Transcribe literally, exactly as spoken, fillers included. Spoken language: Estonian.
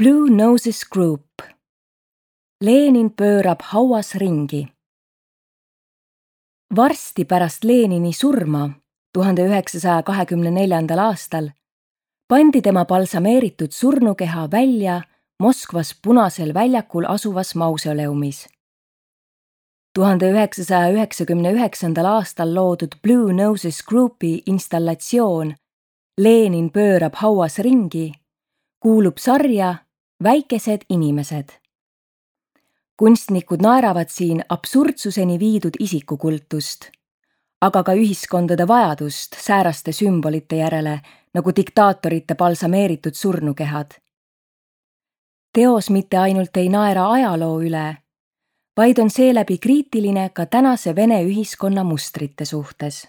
Blue Noses Group. Lenin pöörab hauas ringi. Varsti pärast Lenini surma tuhande üheksasaja kahekümne neljandal aastal pandi tema balsameeritud surnukeha välja Moskvas Punasel väljakul asuvas mausoleumis. tuhande üheksasaja üheksakümne üheksandal aastal loodud Blue Noses Groupi installatsioon Lenin pöörab hauas ringi kuulub sarja Väikesed inimesed. Kunstnikud naeravad siin absurdsuseni viidud isikukultust, aga ka ühiskondade vajadust sääraste sümbolite järele nagu diktaatorite balsameeritud surnukehad. Teos mitte ainult ei naera ajaloo üle, vaid on seeläbi kriitiline ka tänase Vene ühiskonna mustrite suhtes.